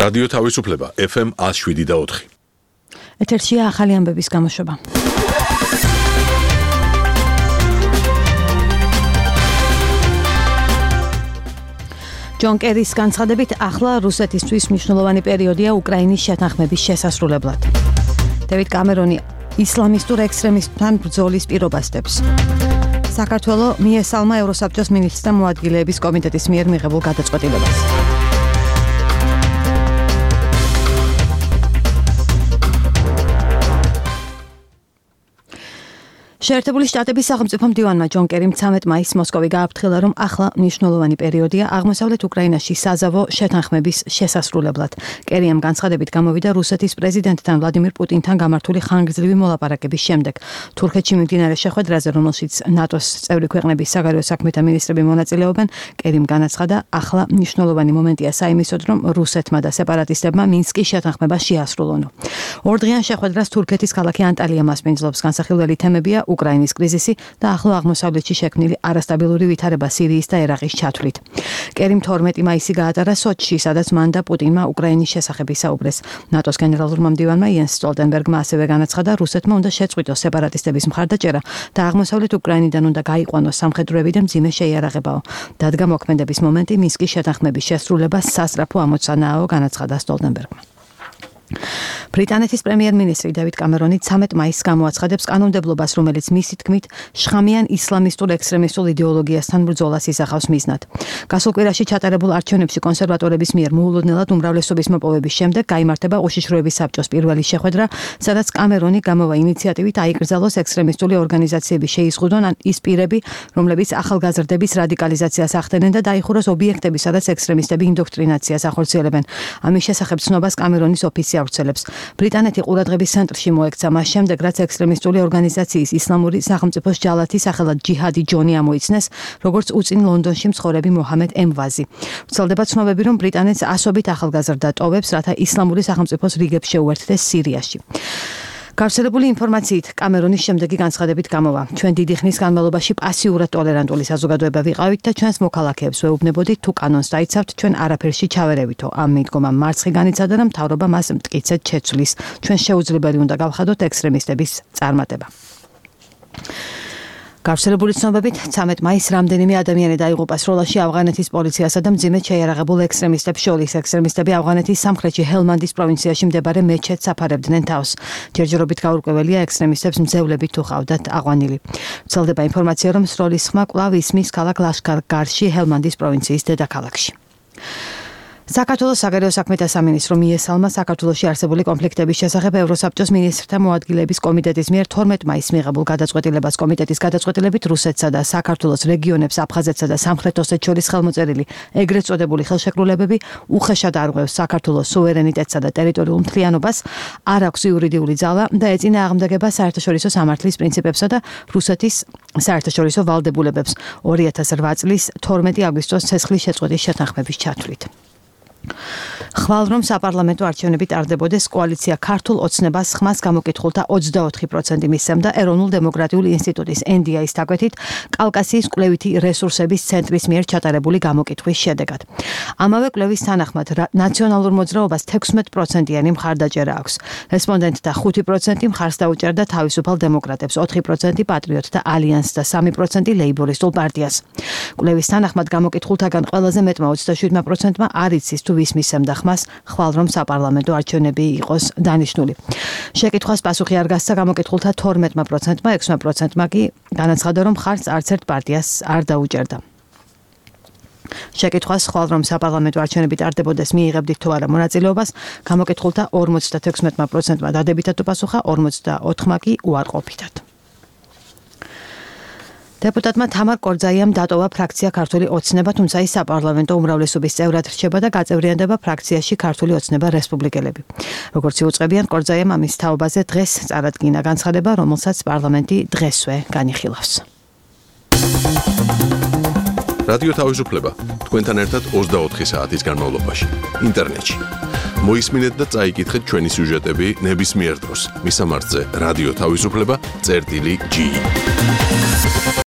რადიო თავისუფლება FM 107.4. ეთერშია ახალი ამბების გამოშვება. ჯონ კერის განცხადებით, ახლა რუსეთისთვის მნიშვნელოვანი პერიოდია უკრაინის შეთანხმების შესასრულებლად. დევიდ კამერონი ისლამისტურ ექსტრემისტთან ბრძოლის პირობას დებს. საქართველოს მიესალმა ევროსაბჭოს მინისტრთა მოადგილეების კომიტეტის მიერ მიღებულ გადაწყვეტილებას. შეერთებული შტატების სახელმწიფო მდივანმა ჯონ კერიმ 13 მაისს მოსკოვი გააფრთხილა, რომ ახლა მნიშვნელოვანი პერიოდია აღმოსავლეთ უკრაინაში საზავო შეთანხმების შესასრულებლად. კერიამ განცხადებით გამოვიდა რუსეთის პრეზიდენტთან ვლადიმირ პუტინთან გამართული ხანგრძლივი მოლაპარაკების შემდეგ. თურქეთში მიმდინარე შეხვედრაზე, რომელშიც ნატოს წევრი ქვეყნების საგარეო საქმეთა მინისტრები მონაწილეობენ, კერიმ განაცხადა, ახლა მნიშვნელოვანი მომენტია საიმისოდ, რომ რუსეთმა და სეპარატისტებმა მინსკის შეთანხმება შეასრულონ. ორდღიან შეხვედრას თურქეთის ქალაქი ანტალია მასპინძლობს. განსახილველი თემებია უკრაინის კრიზისი და ახლო აღმოსავლეთში შექმნილი არასტაბილური ვითარება სირიის და ერაყის ჩათვლით. კერიმ 12 მაისი გაატარა სოჩში, სადაც მან და პუტინმა უკრაინის შესახებ ისაუბრეს. ნატოს გენერალურმა მდივანმა იენს სტოლტენბერგმა ასევე განაცხადა, რუსეთმა უნდა შეწყვიტოს სეპარატისტების მხარდაჭერა და აღმოსავლეთ უკრაინიდან უნდა გაიყვანოს სამხედროები და მძიმე შეიარაღებაო. დადგა მოქმედების მომენტი მინსკის შეთანხმების შესრულებას სასწრაფო ამოცანაა, განაცხადა სტოლტენბერგმა. ბრიტანეთის პრემიერ-მინისტრი დევიდ კამერონი 13 მაისს გამოაცხადებს კანონმდებლობას, რომელიც მისი თქმით შხამიან ისლამისტურ ექსტრემისტულ იდეოლოგიასთან ბრძოლას ისახავს მიზნად. გასულ კვირაში ჩატარებულ არჩევნებში კონსერვატორების მიერ მოულოდნელად უმრავლესობის მოპოვების შემდეგ გაიმართება უშიშროების საბჭოს პირველი შეხვედრა, სადაც კამერონი გამოვა ინიციატივით აიკრძალოს ექსტრემისტული ორგანიზაციების შეიზღუდონ ის პირები, რომლებიც ახალგაზრდების რადიკალიზაციას ახდენენ და დაიხუროს ობიექტები, სადაც ექსტრემისტები ინდოქტრინაციას ახორციელებენ. ამის შესახებ ცნობას კამერონის ოფისი ავრცელებს. ბრიტანეთი ყურადღების ცენტრში მოექცა მას შემდეგ, რაც ექსტრემისტული ორგანიზაციის ისლამური სახელმწიფოს ჯალათი სახელად ჯიჰადი ჯონი ამოიცნეს, როგორც უწინ ლონდონში მცხოვრები მოჰამედ ემვაზი. ვრცელდება ცნობები, რომ ბრიტანეთს ასობით ახალგაზრდა ტოვებს, რათა ისლამური სახელმწიფოს რიგებს შეუერთდეს სირიაში. გავრცელებული ინფორმაციით კამერონის შემდეგი განცხადებით გამოვა. ჩვენ დიდი ხნის განმავლობაში პასიურად ტოლერანტული საზოგადოება ვიყავით და ჩვენს მოქალაქეებს ვეუბნებოდით, თუ კანონს დაიცავთ, ჩვენ არაფერში ჩავერევითო. ამ მიდგომამ მარცხი განიცადა, რომ მთავრობა მას მტკიცედ შეცვლის. ჩვენ შეუძლებელი უნდა გავხადოთ ექსტრემისტების წარმატება. გავრცელებული ცნობებით 13 მაისს რამდენიმე ადამიანი დაიღუპა სროლაში ავღანეთის პოლიციასა და მძიმედ შეიარაღებულ ექსტრემისტებს შორის. ექსტრემისტები ავღანეთის სამხრეთში ჰელმანდის პროვინციაში მდებარე მეჩეთს აფარებდნენ თავს. ჯერჯერობით გაურკვეველია, ექსტრემისტებს მძევლებით თუ ყავდათ აყვანილი. ვრცელდება ინფორმაცია, რომ სროლის ხმა კვლავ ისმის ქალაქ ლაშქარ-გარში, ჰელმანდის პროვინციის დედაქალაქში. საქართველოს საგარეო საქმეთა სამინისტრო მიესალმა საქართველოში არსებული კონფლიქტების შესახებ ევროსაბჭოს მინისტრთა მოადგილეების კომიტეტის მიერ 12 მაისს მიღებულ გადაწყვეტილებას. კომიტეტის გადაწყვეტილებით რუსეთსა და საქართველოს რეგიონებს აფხაზეთსა და სამხრეთ ოსეთს შორის ხელმოწერილი ეგრეთ წოდებული ხელშეკრულებები უხეშად არღვევს საქართველოს სუვერენიტეტსა და ტერიტორიულ მთლიანობას, არ აქვს იურიდიული ძალა და ეწინა აღმდეგება საერთაშორისო სამართლის პრინციპებსა და რუსეთის საერთაშორისო ვალდებულებებს 2008 წლის 12 აგვისტოს ცეცხლის შეწყვეტის შეთანხმების ჩათვლით. ხვალ რომ საპარლამენტო არჩევნები ტარდებოდეს, კოალიცია ქართულ ოცნებას ხმას გამოკითხულთა 24% მისცემდა ეროვნულ დემოკრატიული ინსტიტუტის NDI-ის დაკვეთით კავკასიის კვლევითი რესურსების ცენტრის მიერ ჩატარებული გამოკითხვის შედეგად. ამავე კვლევის თანახმად ნაციონალურ მოძრაობას 16%-იანი მხარდაჭერა აქვს. რესპონდენტთა 5% მხარს დაუჭერდა თავისუფალ დემოკრატებს, 4% პატრიოტთა ალიანსს და 3% ლეიბორისტულ პარტიას. კვლევის თანახმად გამოკითხულთაგან ყველაზე მეტმა 27%-მა არ იცის თუ ვის მისცემდა ხმას, ხვალ რომ საპარლამენტო არჩევნები იყოს დანიშნული. შეკითხვას პასუხი არ გასცა გამოკითხულთა 12%-მა, 6%-მა კი განაცხადა, რომ ხარს არც ერთ პარტიას არ დაუჭერდა. შეკითხვას ხვალ რომ საპარლამენტო არჩევნები ტარდებოდეს მიიღებდით თუ არა მონაწილეობას, გამოკითხულთა 56%-მა დადებითად უპასუხა, 44%-მა კი უარყოფითად. დეპუტატმა თამარ კორძაიამ დატოვა ფრაქცია ქართული ოცნება, თუმცა ის საპარლამენტო უმრავლესობის წევრად რჩება და გაწევრიანდება ფრაქციაში ქართული ოცნება რესპუბლიკელები. როგორც იუწყებიან, კორძაიამ ამის თაობაზე დღეს წარადგინა განცხადება, რომელსაც პარლამენტი დღესვე განიხილავს. რადიო თავისუფლება თქვენთან ერთად 24 საათის განმავლობაში ინტერნეტში. მოისმინეთ და წაიკითხეთ ჩვენი სიუჟეტები ნებისმიერ დროს. მისამართზე რადიო თავისუფლება წერტილი G.